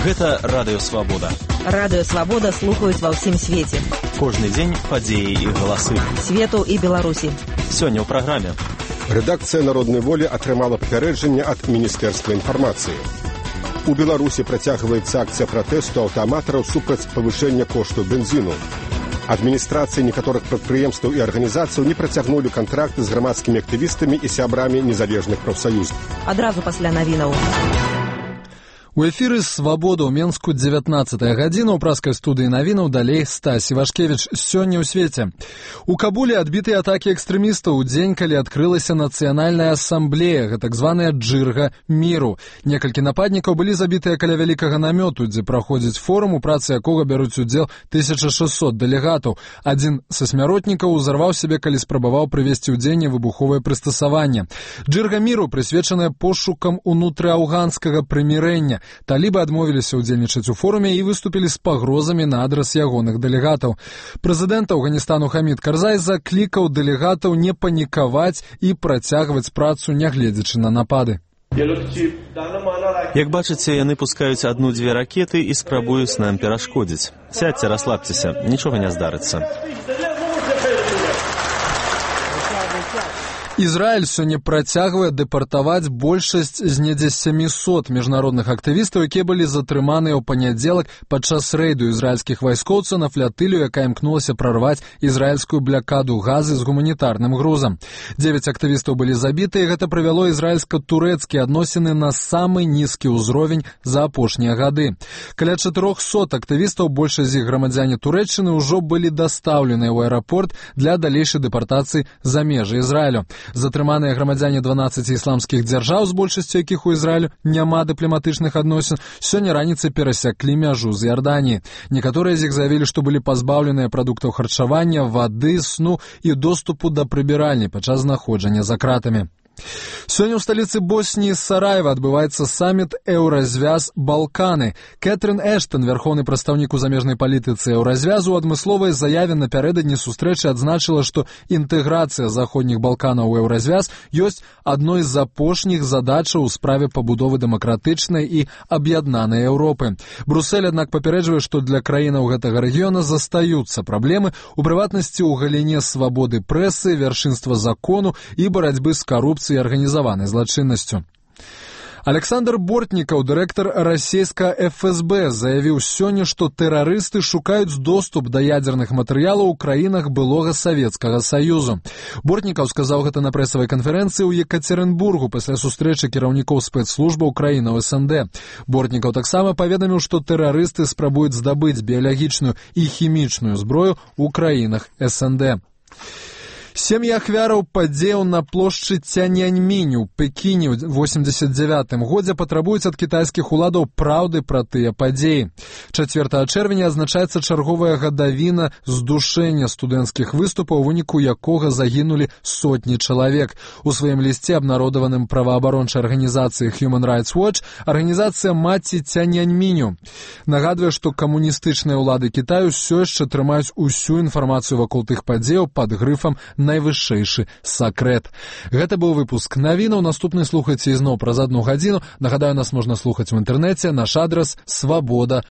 Гэта Радыё Свабода. Радыё Свабода слухаюць ва ўсім свеце. Кожны дзень падзеі і галасы. Свету і Беларусі. Сёння ў праграме. Рэдакцыя Народнай волі атрымала папярэджанне ад Міністэрства інфармацыі. У Беларусі працягваецца акцыя пратэсту аўтааматараў супраць павышэння кошту бензіну. Адміністрацыі некаторых прадпрыемстваў і арганізацыяў не працягнулі кантракты з грамадскімі актывістамі і сябрамі незалежных прафсаюзаў. Адразу пасля навінаў. У эфіры «Свабода» ў Менску 19-я гадзіна. У праскай студыі навінаў далей Стась Івашкевіч. Сёння ў свеце. У Кабуле адбітыя атакі экстрэмістаў у дзень, калі адкрылася нацыянальная асамблея, так званая «Джырга міру». Некалькі нападнікаў былі забітыя каля вялікага намёту, дзе праходзіць форум, у працы якога бяруць удзел 1600 дэлегатаў. Адзін са смяротнікаў узарваў сябе, калі спрабаваў прывесці ў дзеянне выбуховае прыстасаванне. «Джырга міру» прысвечаная пошукам унутрыаўганскага прымірэння. Талібы адмовіліся ўдзельнічаць у форуме і выступілі з пагрозамі на адрас ягоных дэлегатаў. Прэзідэнт Афганістану Хамід Карзай заклікаў дэлегатаў не панікаваць і працягваць працу, нягледзячы на напады. Як бачыце, яны пускаюць адну-дзве ракеты і спрабуюць нам перашкодзіць. Сядьце, расслабцеся, нічога не здарыцца. Ізраіль сёння працягвае дэпартаваць большасць з недзе 700 міжнародных актывістаў, якія былі затрыманыя ў панядзелак падчас рэйду ізраільскіх вайскоўцаў на флятылю, якая імкнулася прарваць ізраільскую блякаду газы з гуманітарным грузам. 9 актывістаў былі забіты, і гэта прывяло ізраільска-турэцкія адносіны на самы нізкі ўзровень за апошнія гады. Каля 400 актывістаў, большасць з іх грамадзяне Турэччыны, ўжо былі дастаўленыя ў аэрапорт для далейшай дэпартацыі за межы Ізраілю. Затрыманыя грамадзяне 12 ісламскіх дзяржаў, з большасцю якіх у Ізраілю няма дыпламатычных адносін, сёння раніцай перасяклі мяжу з Іорданіі. Некаторыя з іх заявілі, што былі пазбаўленыя прадуктаў харчавання, вады, сну і доступу да прыбіральні падчас знаходжання за кратамі. Сёння ў сталіцы Босніі Сараева адбываецца саміт «Еўразвяз Балканы». Кэтрын Эштон, вярхоўны прадстаўнік у замежнай палітыцы Еўразвязу, у адмысловай заяве напярэдадні сустрэчы адзначыла, што інтэграцыя заходніх Балканаў у Еўразвяз ёсць адной з апошніх задачаў у справе пабудовы дэмакратычнай і аб'яднанай Еўропы. Брусэль, аднак, папярэджвае, што для краінаў гэтага рэгіёна застаюцца праблемы, у прыватнасці ў галіне свабоды прэсы, вяршынства закону і барацьбы з карупцыяй і арганізаванай злачыннасцю. Александр Бортнікаў, дырэктар расійскага ФСБ, заявіў сёння, што тэрарысты шукаюць доступ да ядзерных матэрыялаў у краінах былога Савецкага Саюзу. Бортнікаў сказаў гэта на прэсавай канферэнцыі ў Екацерынбургу пасля сустрэчы кіраўнікоў спецслужбаў краінаў СНД. Бортнікаў таксама паведаміў, што тэрарысты спрабуюць здабыць біялагічную і хімічную зброю ў краінах СНД. Сем'і ахвяраў падзеяў на плошчы Цяньаньмінь у Пекіне ў 89-м годзе патрабуюць ад кітайскіх уладаў праўды пра тыя падзеі. 4 чэрвеня азначаецца чарговая гадавіна здушэння студэнцкіх выступаў, у выніку якога загінулі сотні чалавек. У сваім лісце, абнародаваным праваабарончай арганізацыяй Human Rights Watch, арганізацыя маці Цяньаньміню нагадвае, што камуністычныя ўлады Кітаю ўсё яшчэ трымаюць усю інфармацыю вакол тых падзеяў пад грыфам найвышэйшы сакрэт. Гэта быў выпуск навінаў. Наступны слухайце ізноў праз 1 гадзіну. Нагадаю, нас можна слухаць у інтэрнэце. Наш адрас свабода.орг.